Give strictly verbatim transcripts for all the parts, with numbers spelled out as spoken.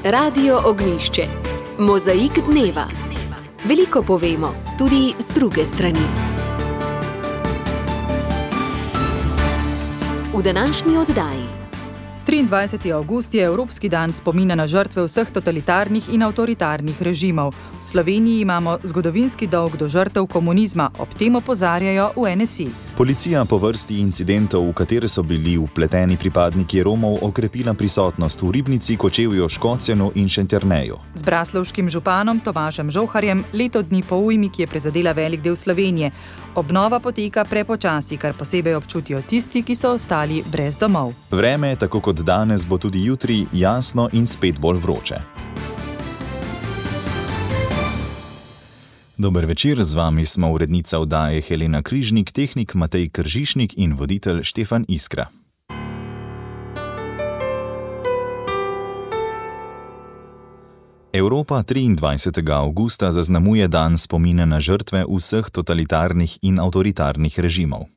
Radio Ognjišče. Mozaik dneva. Veliko povemo, tudi z druge strani. V današnji oddaji. triindvajseti avgust je Evropski dan spomina na žrtve vseh totalitarnih in avtoritarnih režimov. V Sloveniji imamo zgodovinski dolg do žrtev komunizma, ob tem opozarjajo v N S I. Policija po vrsti incidentov, v katere so bili vpleteni pripadniki Romov, okrepila prisotnost v Ribnici, Kočevju, Škocjanu in Šentjerneju. Z braslovškim županom Tomažem Žolharjem leto dni po ujmi, ki je prizadela velik del Slovenije. Obnova poteka prepočasi, kar posebej občutijo tisti, ki so ostali brez domov. Vreme, tako kot danes, bo tudi jutri jasno in spet bolj vroče. Dober večer, z vami smo urednica oddaje Helena Križnik, tehnik Matej Kržišnik in voditelj Štefan Iskra. Evropa triindvajsetega avgusta zaznamuje dan spomina na žrtve vseh totalitarnih in avtoritarnih režimov.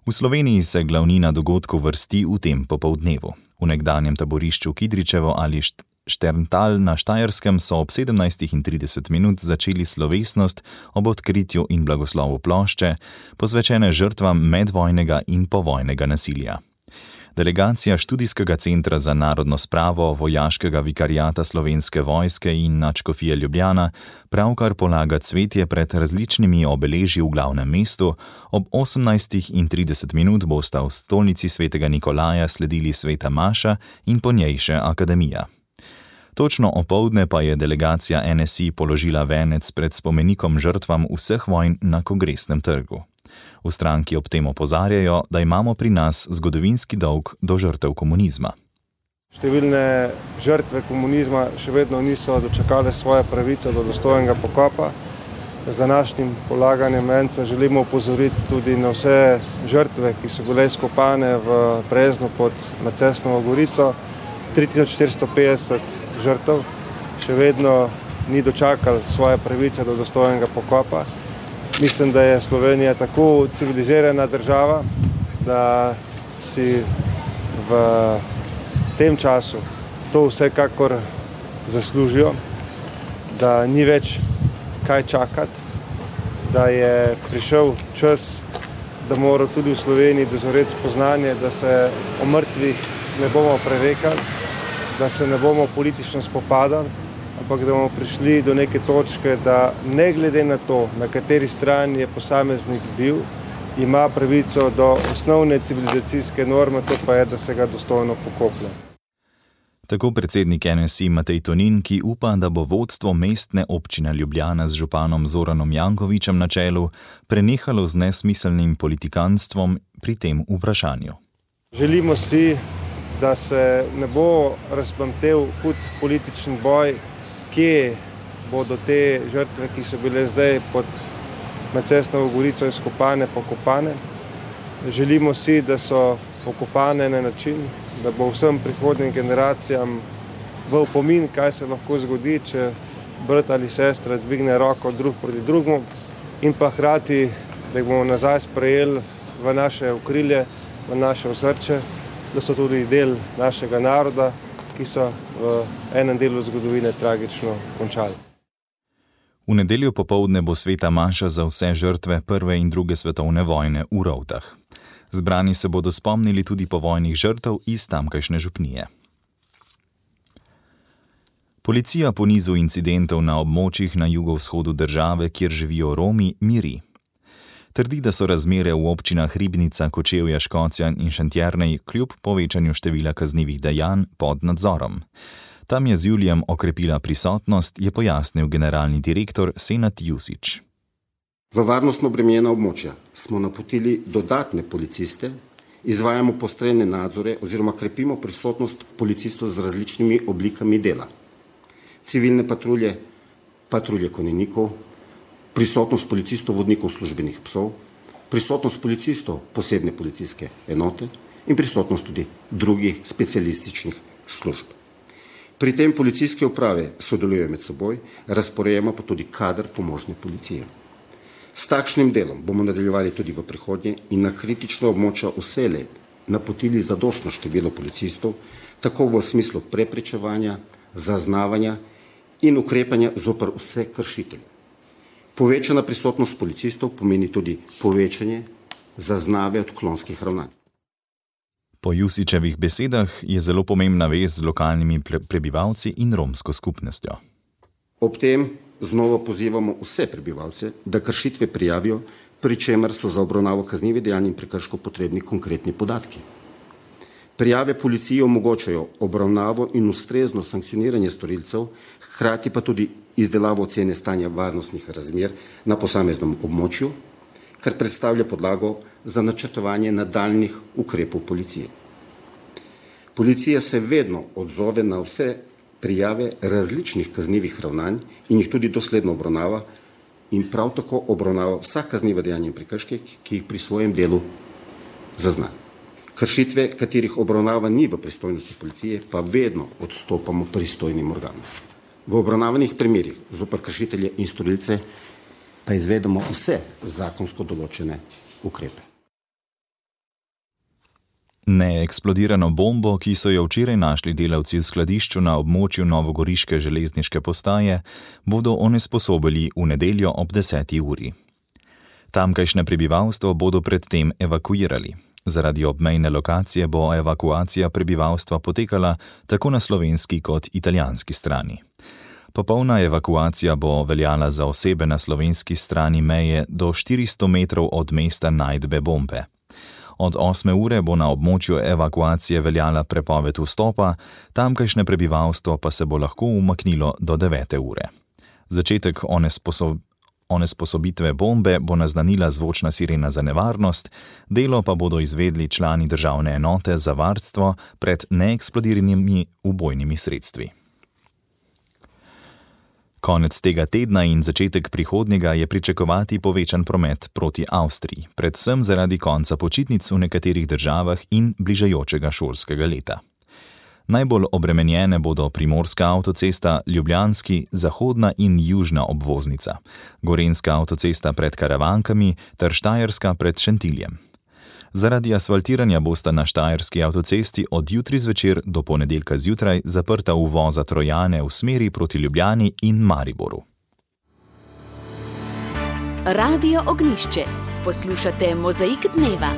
V Sloveniji se glavnina dogodkov vrsti v tem popoldnevu. V nekdanjem taborišču Kidričevo ali Šterntal na Štajerskem so ob sedemnajstih in trideset minut začeli slovesnost ob odkritju in blagoslovu plošče, posvečene žrtvam medvojnega in povojnega nasilja. Delegacija Študijskega centra za narodno spravo Vojaškega vikariata Slovenske vojske in Nadškofije Ljubljana pravkar polaga cvetje pred različnimi obeležji v glavnem mestu. Ob osemnajstih in trideset minut bosta v stolnici svetega Nikolaja sledili sveta maša in po njej še akademija. Točno opoldne pa je delegacija N S I položila venec pred spomenikom žrtvam vseh vojn na Kongresnem trgu. V stranki ob tem opozarjajo, da imamo pri nas zgodovinski dolg do žrtev komunizma. Številne žrtve komunizma še vedno niso dočakale svoje pravice do dostojnega pokopa. Z današnjim polaganjem venca želimo opozoriti tudi na vse žrtve, ki so bile izkopane v Breznu pod Macesnovo Gorico. tri tisoč štiristo petdeset žrtev še vedno ni dočakalo svoje pravice do dostojnega pokopa. Mislim, da je Slovenija tako civilizirana država, da si v tem času to vsekakor zaslužijo, da ni več kaj čakati, da je prišel čas, da mora tudi v Sloveniji dozoreti spoznanje, da se o mrtvih ne bomo prerekali, da se ne bomo politično spopadali, ampak da bomo prišli do neke točke, da ne glede na to, na kateri strani je posameznik bil, ima pravico do osnovne civilizacijske norme, to pa je, da se ga dostojno pokoplje. Tako predsednik N S I Matej Tonin, ki upa, da bo vodstvo mestne občine Ljubljana z županom Zoranom Jankovićem na čelu prenehalo z nesmiselnim politikanstvom pri tem vprašanju. Želimo si, da se ne bo razplamtel hud politični boj, kje bodo te žrtve, ki so bile zdaj pod Macesnovo Gorico izkopane, pokopane. Želimo si, da so pokopane na način, da bo vsem prihodnjim generacijam v opomin, kaj se lahko zgodi, če brat ali sestra dvigne roko drug proti drugemu, in pa hkrati, da jih bomo nazaj sprejeli v naše okrilje, v naše osrče, da so tudi del našega naroda, ki so v enem delu zgodovine tragično končali. V nedeljo popoldne bo sveta maša za vse žrtve prve in druge svetovne vojne v Rovtah. Zbrani se bodo spomnili tudi povojnih žrtev iz tamkajšnje župnije. Policija po nizu incidentov na območjih na jugovzhodu države, kjer živijo Romi, miri. Trdi, da so razmere v občinah Ribnica, Kočevja, Škocjan in Šentjernej kljub povečanju števila kaznivih dejanj pod nadzorom. Tam je z julijem okrepila prisotnost, je pojasnil generalni direktor Senad Jusić. V varnostno obremenjena območja smo napotili dodatne policiste, izvajamo postrojene nadzore oziroma krepimo prisotnost policistov z različnimi oblikami dela. Civilne patrulje, patrulje konjenikov, prisotnost policistov, vodnikov službenih psov, prisotnost policistov posebne policijske enote in prisotnost tudi drugih specialističnih služb. Pri tem policijske uprave sodelujejo med seboj, razporejamo pa tudi kader pomožne policije. S takšnim delom bomo nadaljevali tudi v prihodnje in na kritično območja vselej napotili zadostno število policistov, tako v smislu preprečevanja, zaznavanja in ukrepanja zoper vse kršitelje. Povečana prisotnost policistov pomeni tudi povečanje zaznave odklonskih ravnanj. Po Jusićevih besedah je zelo pomembna vez z lokalnimi prebivalci in romsko skupnostjo. Ob tem znova pozivamo vse prebivalce, da kršitve prijavijo, pri čemer so za obravnavo kaznivih dejanj in prekrškov potrebni konkretni podatki. Prijave policiji omogočajo obravnavo in ustrezno sankcioniranje storilcev, hkrati pa tudi izdelavo ocene stanja varnostnih razmer na posameznem območju, kar predstavlja podlago za načrtovanje nadaljnjih ukrepov policije. Policija se vedno odzove na vse prijave različnih kaznivih ravnanj in jih tudi dosledno obravnava in prav tako obravnava vsa kazniva dejanja in prekrške, ki jih pri svojem delu zazna. Kršitve, katerih obravnava ni v pristojnosti policije, pa vedno odstopamo pristojnim organom. V obravnavanih primerih zoper kršitelje in storilce pa izvedemo vse zakonsko določene ukrepe. Neeksplodirano bombo, ki so jo včeraj našli delavci v skladišču na območju novogoriške železniške postaje, bodo onesposobili v nedeljo ob deseti uri. Tamkajšnje prebivalstvo bodo predtem evakuirali. Zaradi obmejne lokacije bo evakuacija prebivalstva potekala tako na slovenski kot italijanski strani. Popolna evakuacija bo veljala za osebe na slovenski strani meje do štiristo metrov od mesta najdbe bombe. Od osme ure bo na območju evakuacije veljala prepoved vstopa, tamkajšnje prebivalstvo pa se bo lahko umaknilo do devete ure. Začetek onesposob onesposobitve bombe bo naznanila zvočna sirena za nevarnost, delo pa bodo izvedli člani državne enote za varstvo pred neeksplodiranimi ubojnimi sredstvi. Konec tega tedna in začetek prihodnjega je pričakovati povečan promet proti Avstriji, predvsem zaradi konca počitnic v nekaterih državah in bližajočega šolskega leta. Najbolj obremenjene bodo primorska avtocesta, ljubljanski, zahodna in južna obvoznica, gorenjska avtocesta pred Karavankami ter štajerska pred Šentiljem. Zaradi asfaltiranja bosta na štajerski avtocesti od jutri zvečer do ponedeljka zjutraj zaprta uvoza Trojane v smeri proti Ljubljani in Mariboru. Radio Ognjišče. Poslušate Mozaik dneva.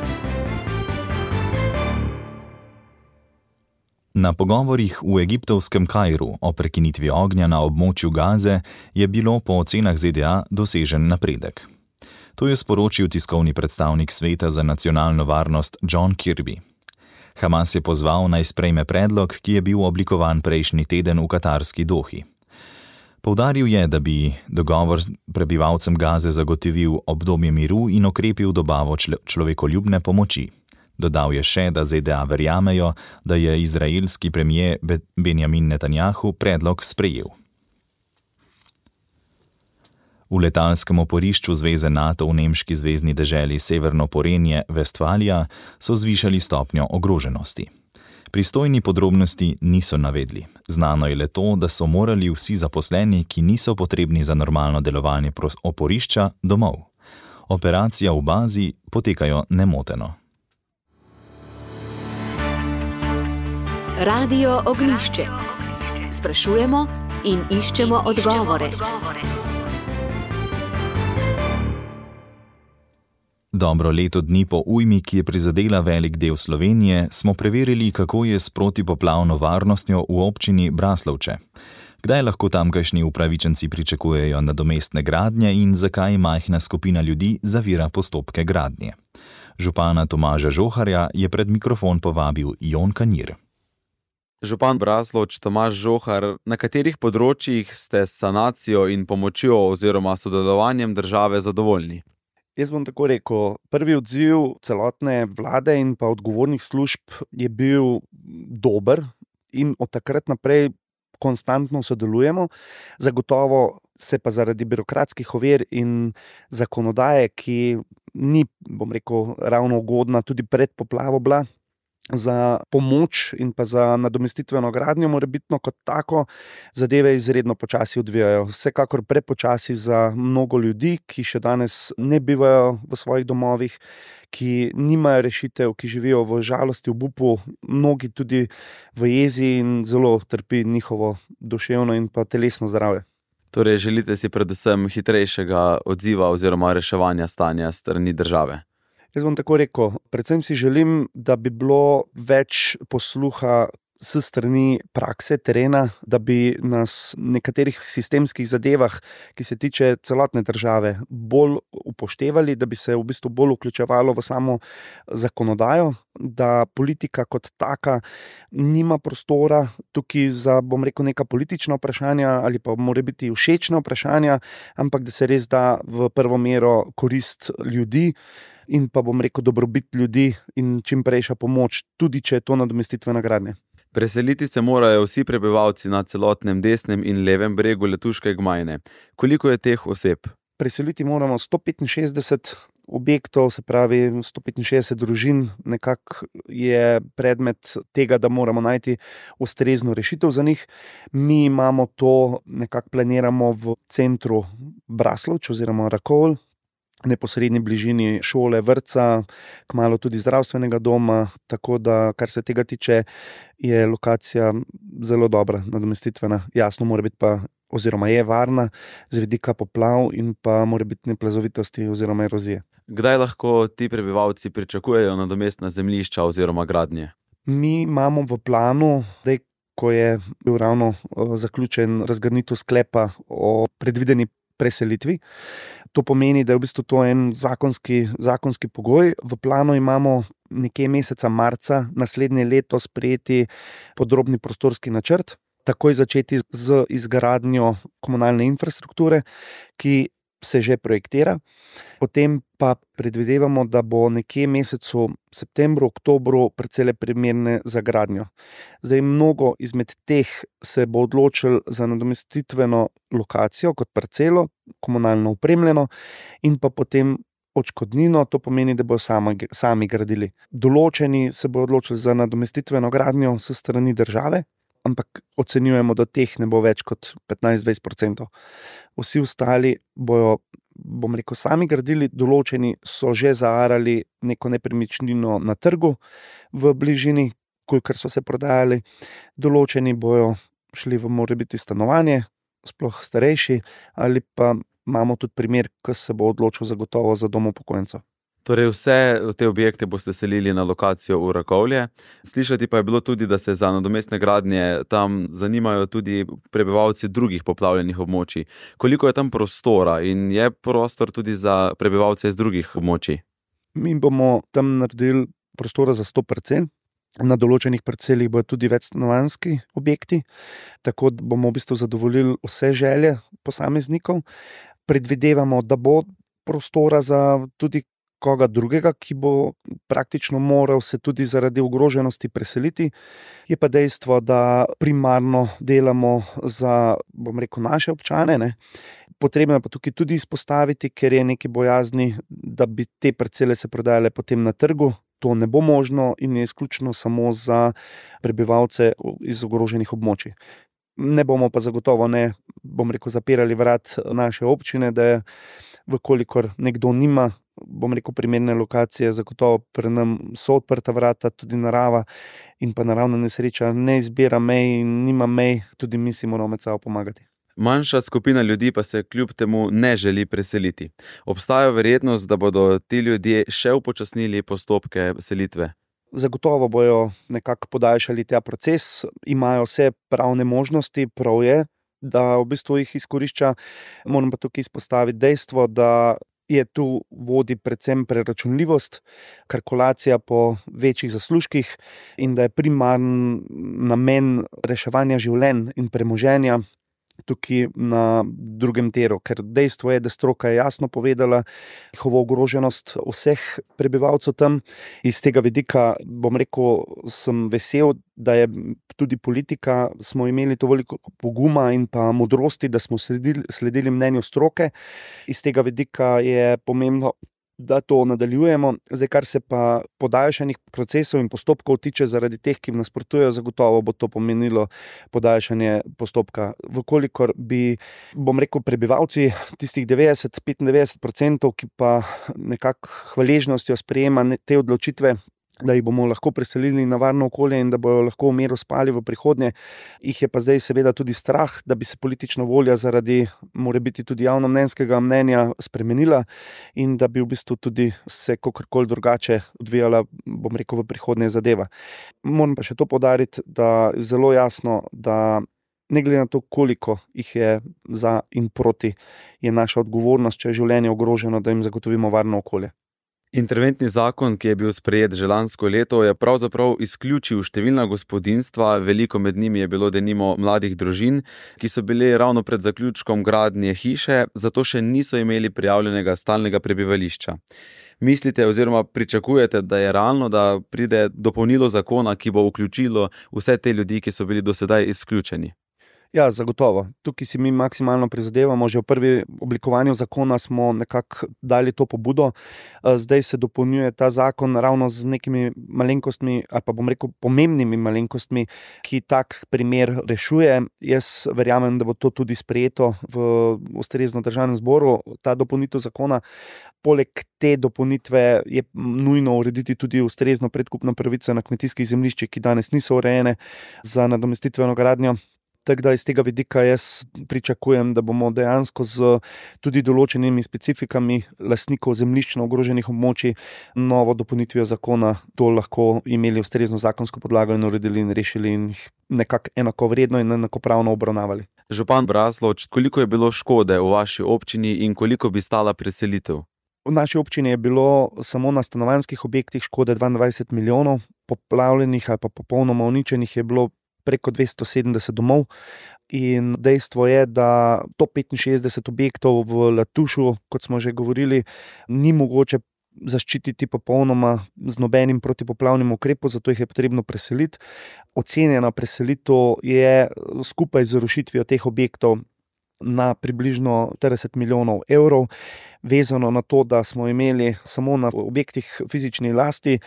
Na pogovorih v egiptovskem Kairu o prekinitvi ognja na območju Gaze je bilo po ocenah Z D A dosežen napredek. To je sporočil tiskovni predstavnik Sveta za nacionalno varnost John Kirby. Hamas je pozval naj sprejme predlog, ki je bil oblikovan prejšnji teden v katarski Dohi. Poudaril je, da bi dogovor prebivalcem Gaze zagotovil obdobje miru in okrepil dobavo človekoljubne pomoči. Dodal je še, da Z D A verjamejo, da je izraelski premier Benjamin Netanjahu predlog sprejel. V letalskem oporišču Zveze NATO v nemški zvezni deželi Severno Porenje, Vestfalija, so zvišali stopnjo ogroženosti. Pristojni podrobnosti niso navedli. Znano je le to, da so morali vsi zaposleni, ki niso potrebni za normalno delovanje oporišča, domov. Operacija v bazi potekajo nemoteno. Radio Ognjišče. Sprašujemo in iščemo odgovore. Dobro leto dni po ujmi, ki je prizadela velik del Slovenije, smo preverili, kako je s protipoplavno varnostjo v občini Braslovče. Kdaj lahko tamkajšnji upravičenci pričakujejo nadomestne gradnje in zakaj majhna skupina ljudi zavira postopke gradnje? Župana Tomaža Žoharja je pred mikrofon povabil Jon Kanjir. Župan Braslovč Tomaž Žohar, na katerih področjih ste s sanacijo in pomočjo oziroma sodelovanjem države zadovoljni? Jaz bom tako rekel, prvi odziv celotne vlade in pa odgovornih služb je bil dober in od takrat naprej konstantno sodelujemo. Zagotovo se pa zaradi birokratskih ovir in zakonodaje, ki ni, bom rekel, ravno ugodna tudi pred poplavo bila, za pomoč in pa za nadomestitveno gradnjo, morebitno kot tako, zadeve izredno počasi odvijajo. Vsekakor prepočasi za mnogo ljudi, ki še danes ne bivajo v svojih domovih, ki nimajo rešitev, ki živijo v žalosti, v obupu, mnogi tudi v jezi in zelo trpi njihovo duševno in pa telesno zdravje. Torej, želite si predvsem hitrejšega odziva oziroma reševanja stanja strani države? Jaz bom tako rekel, predvsem si želim, da bi bilo več posluha s strani prakse, terena, da bi nas v nekaterih sistemskih zadevah, ki se tiče celotne države, bolj upoštevali, da bi se v bistvu bolj vključevalo v samo zakonodajo, da politika kot taka nima prostora tukaj za, bom rekel, neka politična vprašanja ali pa mora biti všečna vprašanja, ampak da se res da v prvo mero korist ljudi in pa, bom rekel, dobrobit ljudi in čim prejša pomoč, tudi če je to nadomestitvena gradnja. Preseliti se morajo vsi prebivalci na celotnem desnem in levem bregu Letuške gmajne. Koliko je teh oseb? Preseliti moramo sto petinšestdeset objektov, se pravi sto petinšestdeset družin, nekako je predmet tega, da moramo najti ustrezno rešitev za njih. Mi imamo to, nekako planiramo v centru Braslovč oziroma Rakovl, neposredni bližini šole, vrtca, kmalu tudi zdravstvenega doma, tako da, kar se tega tiče, je lokacija zelo dobra, nadomestitvena. Jasno mora biti pa, oziroma je varna z vidika poplav in pa morebitne plazovitosti oziroma erozije. Kdaj lahko ti prebivalci pričakujejo nadomestna zemljišča oziroma gradnje? Mi imamo v planu, da ko je bil ravno zaključen razgrnitev sklepa o predvideni preselitvi. To pomeni, da je v bistvu to en zakonski, zakonski pogoj. V planu imamo nekje meseca marca naslednje leto sprejeti podrobni prostorski načrt, takoj začeti z izgradnjo komunalne infrastrukture, ki se že projektira. Potem pa predvidevamo, da bo nekje mesecu septembru, oktobru precej primerne za gradnjo. Zdaj, mnogo izmed teh se bo odločil za nadomestitveno lokacijo kot parcelo, komunalno opremljeno in pa potem odškodnino, to pomeni, da bodo sami, sami gradili. Določeni se bo odločili za nadomestitveno gradnjo s strani države, ampak ocenjujemo, da teh ne bo več kot petnajst do dvajset procentov. Vsi ostali bojo, bom rekel, sami gradili, določeni so že zaarali neko nepremičnino na trgu v bližini, kolikor so se prodajali, določeni bojo šli v morebiti stanovanje, sploh starejši, ali pa imamo tudi primer, ki se bo odločil zagotovo za dom upokojencev. Torej vse te objekte boste selili na lokacijo v Rakovlje. Slišati pa je bilo tudi, da se za nadomestne gradnje tam zanimajo tudi prebivalci drugih poplavljenih območij. Koliko je tam prostora in je prostor tudi za prebivalce iz drugih območij? Mi bomo tam naredili prostora za sto parcel. Na določenih parcelih bodo tudi večstanovanjski objekti, tako da bomo v bistvu zadovoljili vse želje posameznikov. Predvidevamo, da bo prostora za tudi koga drugega, ki bo praktično moral se tudi zaradi ogroženosti preseliti. Je pa dejstvo, da primarno delamo za, bom rekel, naše občane, ne. Potrebno je pa tukaj tudi izpostaviti, ker je nekaj bojazni, da bi te parcele se prodajale potem na trgu. To ne bo možno in je izključno samo za prebivalce iz ogroženih območij. Ne bomo pa zagotovo ne, bom rekel, zapirali vrat naše občine, da je, vkolikor nekdo nima, bom rekel, primerne lokacije, zagotovo pri nam so odprta vrata, tudi narava in pa naravna nesreča ne izbira mej in nima mej, tudi mi si moramo med sabo pomagati. Manjša skupina ljudi pa se kljub temu ne želi preseliti. Obstaja verjetnost, da bodo ti ljudje še upočasnili postopke selitve? Zagotovo bojo nekako podaljšali ta proces, imajo vse pravne možnosti, prav je, da v bistvu jih izkorišča. Moram pa tukaj izpostaviti dejstvo, da je tu vodi predvsem preračunljivost, kalkulacija po večjih zaslužkih in da je primarni namen reševanja življenj in premoženja tukaj na drugem tiru, ker dejstvo je, da stroka je jasno povedala njihovo ogroženost vseh prebivalcev tam. Iz tega vidika, bom rekel, sem vesel, da je tudi politika, smo imeli to veliko poguma in pa modrosti, da smo sledili, sledili mnenju stroke. Iz tega vidika je pomembno, da to nadaljujemo. Zdaj, kar se pa podaljšanih procesov in postopkov tiče zaradi teh, ki nasprotujejo, zagotovo bo to pomenilo podaljšanje postopka. Vkolikor bi, bom rekel, prebivalci tistih devetdeset do petindevetdeset procentov, ki pa nekako hvaležnostjo sprejema te odločitve, da jih bomo lahko preselili na varno okolje in da bojo lahko v miru spali v prihodnje. Jih je pa zdaj seveda tudi strah, da bi se politična volja zaradi morebiti tudi javnomnenjskega mnenja spremenila in da bi v bistvu tudi se kakorkoli drugače odvijala, bom rekel, v prihodnje zadeva. Moram pa še to poudariti, da je zelo jasno, da ne glede na to, koliko jih je za in proti, je naša odgovornost, če je življenje ogroženo, da jim zagotovimo varno okolje. Interventni zakon, ki je bil sprejet že lansko leto, je pravzaprav izključil številna gospodinjstva, veliko med njimi je bilo denimo mladih družin, ki so bili ravno pred zaključkom gradnje hiše, zato še niso imeli prijavljenega stalnega prebivališča. Mislite oziroma pričakujete, da je realno, da pride dopolnilo zakona, ki bo vključilo vse te ljudi, ki so bili do sedaj izključeni? Ja, zagotovo. Tukaj si mi maksimalno prizadevamo. Že v prvi oblikovanju zakona smo nekako dali to pobudo. Zdaj se dopolnjuje ta zakon ravno z nekimi malenkostmi, ali pa bom rekel pomembnimi malenkostmi, ki tak primer rešuje. Jaz verjamem, da bo to tudi sprejeto v ustrezno državnem zboru, ta dopolnitev zakona. Poleg te dopolnitve je nujno urediti tudi ustrezno predkupno pravico na kmetijskih zemljiščih, ki danes niso urejene za nadomestitveno gradnjo. Tako da iz tega vidika jaz pričakujem, da bomo dejansko z tudi določenimi specifikami lastnikov zemljišč na ogroženih območij novo dopolnitvijo zakona to lahko imeli ustrezno zakonsko podlago in uredili in rešili in jih nekako enakovredno in enakopravno obravnavali. Župan Braslovč, koliko je bilo škode v vaši občini in koliko bi stala preselitev? V naši občini je bilo samo na stanovanjskih objektih škode dvaindvajset milijonov, poplavljenih ali pa popolnoma uničenih je bilo preko dvesto sedemdeset domov in dejstvo je, da sto petinšestdeset objektov v Letušu, kot smo že govorili, ni mogoče zaščititi popolnoma z nobenim protipoplavnim ukrepom, zato jih je potrebno preseliti. Ocenjena preselitev je skupaj z rušitvijo teh objektov na približno trideset milijonov evrov, vezano na to, da smo imeli samo na objektih fizični lasti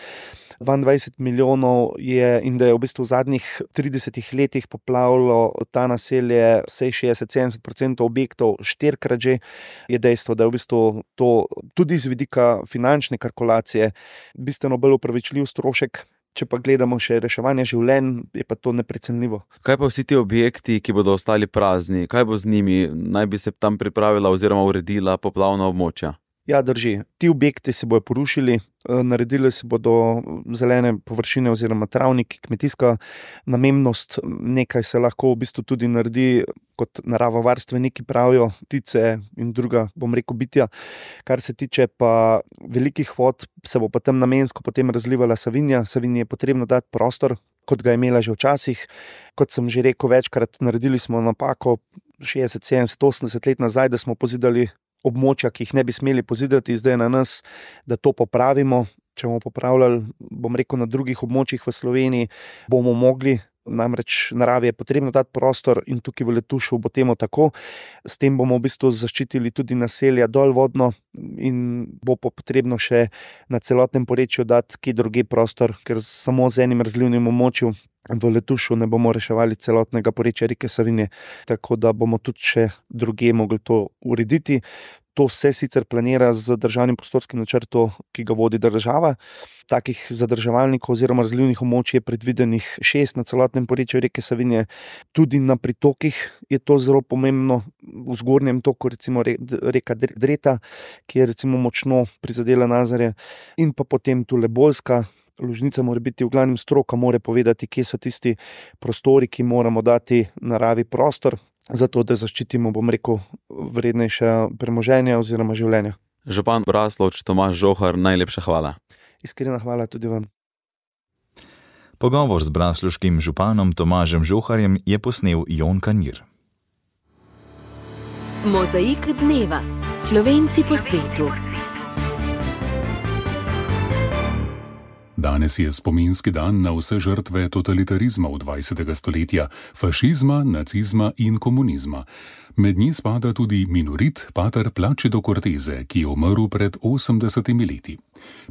dvaindvajset milijonov je in da je v bistvu v zadnjih tridesetih letih poplavilo ta naselje vsaj šestdeset do sedemdeset procentov objektov štirikrat že, je dejstvo, da je v bistvu to tudi z vidika finančne kalkulacije bistveno bolj upravičljiv strošek. Če pa gledamo še reševanje življenj, je pa to neprecenljivo. Kaj pa vsi ti objekti, ki bodo ostali prazni? Kaj bo z njimi? Naj bi se tam pripravila oziroma uredila poplavna območja? Ja, drži. Ti objekti se bodo porušili, naredili se bodo zelene površine oziroma travniki, kmetijska namembnost, nekaj se lahko v bistvu tudi naredi, kot naravovarstveniki pravijo, ptice in druga, bom rekel, bitja. Kar se tiče pa velikih vod, se bo pa tam namensko potem razlivala Savinja. Savinji je potrebno dati prostor, kot ga je imela že včasih. Kot sem že rekel večkrat, naredili smo napako šestdeset, sedemdeset, osemdeset let nazaj, da smo pozidali območja, ki jih ne bi smeli pozidati, zdaj na nas, da to popravimo. Če bomo popravljali, bom rekel, na drugih območjih v Sloveniji, bomo mogli, namreč naravi je potrebno dati prostor in tukaj v Letušu bo temu tako. S tem bomo v bistvu zaščitili tudi naselja dolvodno in bo potrebno še na celotnem porečju dati kje drugje prostor, ker samo z enim razlivnim območjem v Letušu ne bomo reševali celotnega porečja reke Savinje, tako da bomo tudi še drugje mogli to urediti. To se sicer planira z državnim prostorskim načrtom, ki ga vodi država. Takih zadrževalnikov oziroma razlivnih območij je predvidenih šest na celotnem porečju reke Savinje. Tudi na pritokih je to zelo pomembno. V zgornjem toku recimo reka Dreta, ki je recimo močno prizadela Nazarje, in pa potem tule Bolska. Lužnica mora biti, v glavnem stroka mora povedati, kje so tisti prostori, ki moramo dati naravi prostor, zato da zaščitimo, bom rekel, vrednejše premoženje oziroma življenja. Župan Braslovč Tomaž Žohar, najlepša hvala. Iskrena hvala tudi vam. Pogovor z braslovškim županom Tomažem Žoharjem je posnel Jon Kanjir. Mozaik dneva. Slovenci po svetu. Danes je spominski dan na vse žrtve totalitarizmov dvajsetega stoletja, fašizma, nacizma in komunizma. Med njih spada tudi minorit pater Placido Cortese, ki je umrl pred osemdesetimi leti.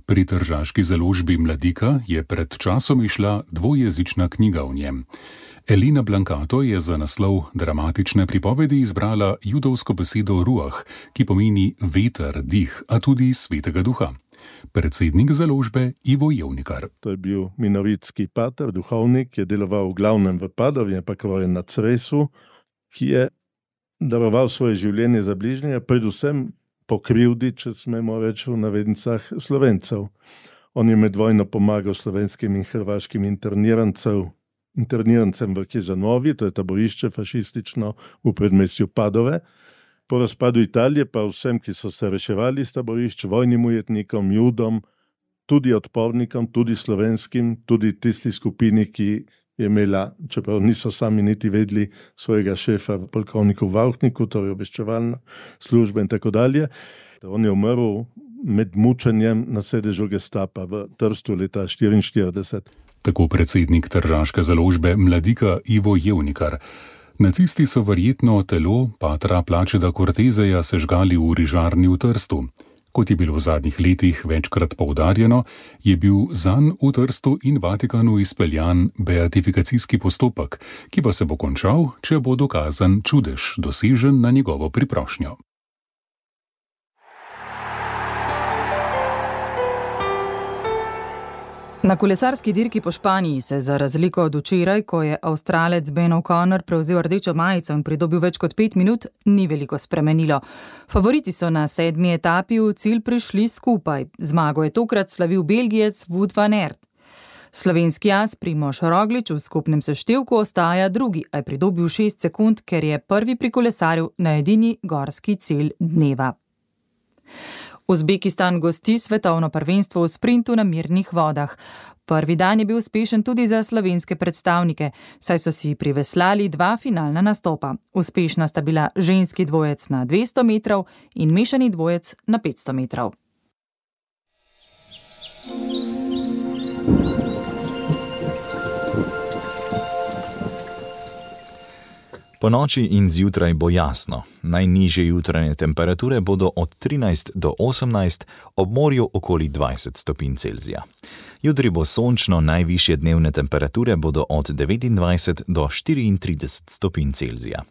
Pri tržaški založbi Mladika je pred časom išla dvojezična knjiga o njem. Elina Blancato je za naslov dramatične pripovedi izbrala judovsko besedo ruah, ki pomeni veter, dih, a tudi svetega duha. Predsednik založbe Ivo Jevnikar. To je bil minoritski pater, duhovnik, ki je deloval v glavnem v Padovi, ampak rojen na Cresu, ki je daroval svoje življenje za bližnje, predvsem po krivdi, če smemo reči v navednicah, Slovencev. On je med vojno pomagal slovenskim in hrvaškim internirancem, internirancem v Kežanovi, to je taborišče fašistično v predmestju Padove. Po razpadu Italije pa vsem, ki so se reševali iz taborišč, vojnim ujetnikom, judom, tudi odpornikom, tudi slovenskim, tudi tisti skupini, ki je imela, čeprav niso sami niti vedeli, svojega šefa, polkovniku Vauchniku, torej obveščevalna služba in tako dalje. On je umrl med mučenjem na sedežu Gestapa v Trstu leta štiriinštirideset. Tako predsednik tržaške založbe Mladika Ivo Jevnikar. Nacisti so verjetno telo patra Placida Corteseja sežgali v rižarni v Trstu. Kot je bilo v zadnjih letih večkrat poudarjeno, je bil zanj v Trstu in Vatikanu izpeljan beatifikacijski postopek, ki pa se bo končal, če bo dokazan čudež, dosežen na njegovo priprošnjo. Na kolesarski dirki po Španiji se za razliko od včeraj, ko je Avstralec Ben O'Connor prevzel rdečo majico in pridobil več kot pet minut, ni veliko spremenilo. Favoriti so na sedmi etapi v cilj prišli skupaj. Zmago je tokrat slavil Belgijec Wout van Aert. Slovenski as Primož Roglič v skupnem seštevku ostaja drugi, a je pridobil šest sekund, ker je prvi prikolesaril na edini gorski cilj dneva. Uzbekistan gosti svetovno prvenstvo v sprintu na mirnih vodah. Prvi dan je bil uspešen tudi za slovenske predstavnike, saj so si priveslali dva finalna nastopa. Uspešna sta bila ženski dvojec na dvesto metrov in mešani dvojec na petsto metrov. Po noči in zjutraj bo jasno. Najnižje jutranje temperature bodo od trinajst do osemnajst, ob morju okoli dvajset stopinj Celzija. Jutri bo sončno, najvišje dnevne temperature bodo od devetindvajset do štiriintrideset stopinj Celzija.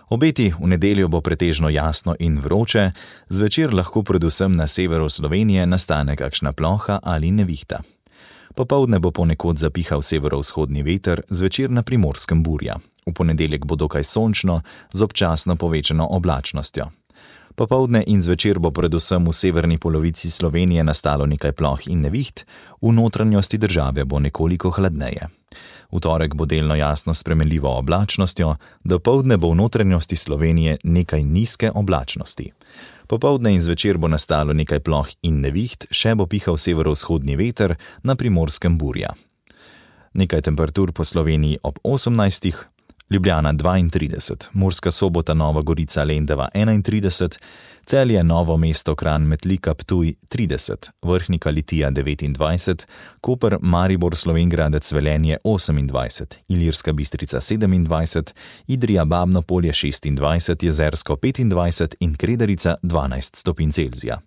Obeti v nedeljo bo pretežno jasno in vroče, zvečer lahko predvsem na severu Slovenije nastane kakšna ploha ali nevihta. Popoldne bo ponekod zapihal severovzhodni veter, zvečer na Primorskem burja. V ponedeljek bo dokaj sončno, z občasno povečano oblačnostjo. Popoldne in zvečer bo predvsem v severni polovici Slovenije nastalo nekaj ploh in neviht, v notranjosti države bo nekoliko hladneje. V torek bo delno jasno s spremenljivo oblačnostjo, dopoldne bo v notranjosti Slovenije nekaj nizke oblačnosti. Popoldne in zvečer bo nastalo nekaj ploh in neviht, še bo pihal severovzhodni veter, na Primorskem burja. Nekaj temperatur po Sloveniji ob osemnajstih, Ljubljana dvaintrideset, Murska Sobota, Nova Gorica, Lendava enaintrideset, Celje, Novo mesto, Kranj, Metlika, Ptuj trideset, Vrhnika, Litija devetindvajset, Koper, Maribor, Slovenj Gradec, Velenje osemindvajset, Ilirska Bistrica sedemindvajset, Idrija, Babno Polje šestindvajset, Jezersko petindvajset in Kredarica dvanajst stopinj Celzija.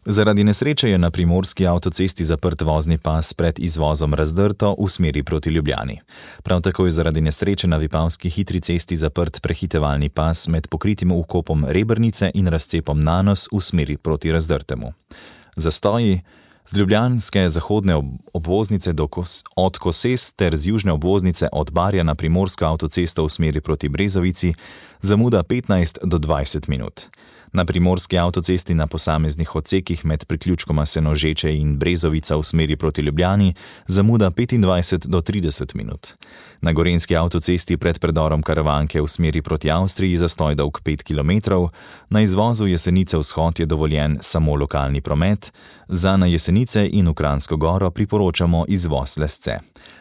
Zaradi nesreče je na primorski avtocesti zaprt vozni pas pred izvozom Razdrto v smeri proti Ljubljani. Prav tako je zaradi nesreče na Vipavski hitri cesti zaprt prehitevalni pas med pokritim vkopom Rebrnice in razcepom Nanos v smeri proti Razdrtemu. Zastoji z ljubljanske zahodne obvoznice do Kos, od Koses ter z južne obvoznice od Barja na primorsko avtocesto v smeri proti Brezovici zamuda petnajst do dvajset minut. Na primorski avtocesti na posameznih odsekih med priključkoma Senožeče in Brezovica v smeri proti Ljubljani zamuda petindvajset do trideset minut. Na gorenjski avtocesti pred predorom Karavanke v smeri proti Avstriji zastoj dolg pet kilometrov, na izvozu Jesenice vzhod je dovoljen samo lokalni promet, za na Jesenice in v Kranjsko Goro priporočamo izvoz Lesce.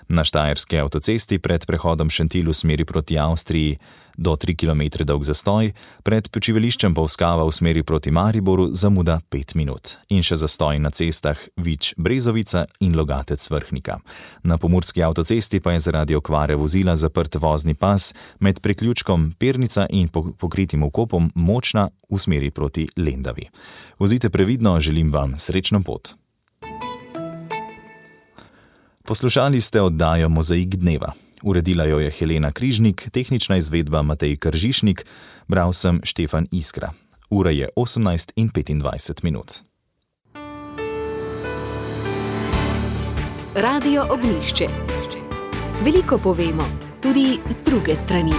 Na štajerski avtocesti pred prehodom Šentilj v smeri proti Avstriji do tri kilometre dolg zastoj, pred počivališčem Polskava v smeri proti Mariboru zamuda pet minut. In še zastoj na cestah Vič-Brezovica in Logatec-Vrhnika. Na pomurski avtocesti pa je zaradi okvare vozila zaprt vozni pas med priključkom Pernica in pokritim vkopom Močna v smeri proti Lendavi. Vozite previdno, želim vam srečno pot. Poslušali ste oddajo Mozaik dneva. Uredila jo je Helena Križnik, tehnična izvedba Matej Kržišnik, bral sem Štefan Iskra. Ura je osemnajst in petindvajset minut. Radio Ognjišče. Veliko povemo, tudi z druge strani.